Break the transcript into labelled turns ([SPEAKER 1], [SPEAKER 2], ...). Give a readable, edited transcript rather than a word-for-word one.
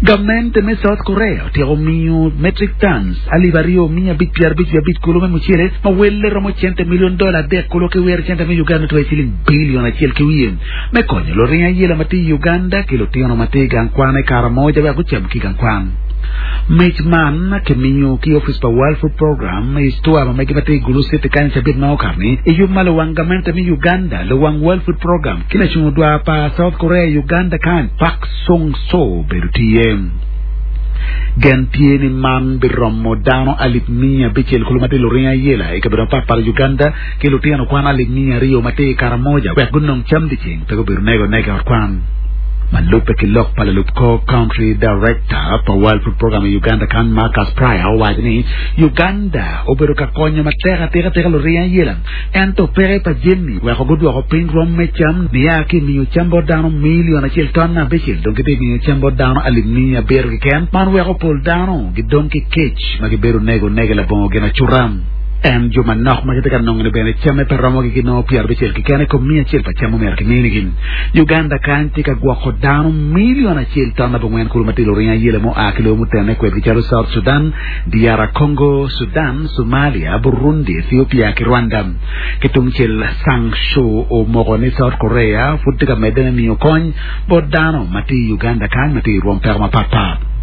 [SPEAKER 1] Gamente me South Korea otyeko miyo metric tons 2555 kulu me mucele ma welle romo cente milion dola adek kulu ki wiro cente me Uganda tye ciling bilion acel ki wiye me konyo luring ayela ma tye i Uganda ki lutino ma tye i gang kwan i Karamoja wek gucam ki i gang kwan. Mic man kimiyo ki opic pa World Food Program i ctua ma mege ma tye i Gulu City kany i cabit ma okato-ni i yub ma luwang gamente me Uganda, luwang World Food Program ki lacungo dwar pa South Korea i Uganda kany, Park Sung-soo obedo tye iye. Gen tye ni man biromo dano 600,000 kulu ma tye luring ayela i kabedo mapatpat i Uganda ki lutino kwan 200,000 ma tye i Karamoja wek gunong cam dyeceng pe gubedo nego nega i ot kwan. Ma lubbe ki lok pa lalub kor Country Director pa World Food Program i Uganda kany Marcus Pryor owaco ni Uganda obedo ka konyo matek atika tika luring ayela ento peke pa jami weko gudwoko piny rwom me cam nia ki i miyo cam bot dano milion acel ton abicel dong gitye miyo cam bot dano 700,000 keken. Man weko pol dano gidong ki kec ma gibedo nego nege labongo ginacuta. En jo manok ma gitye ka nongo-ni bene camme pe romogi ginongo pyerabicel keken i kom miya acel pa cam omyero kiminigi. Uganda kany tye ka gwoko dano milion acel ton abongwen kulu ma tye luring ayela mua ki lobo mutene kwedgi calo South Sudan, DR Congo, Sudan, Somalia, Burundi, Ethiopia ki Rwanda. Ki tungcel, Sang Soo omoko ni South Korea pud tye ka medde me miyo kony bot dano ma tye i Uganda kany ma tye i rwom peko mapatpat.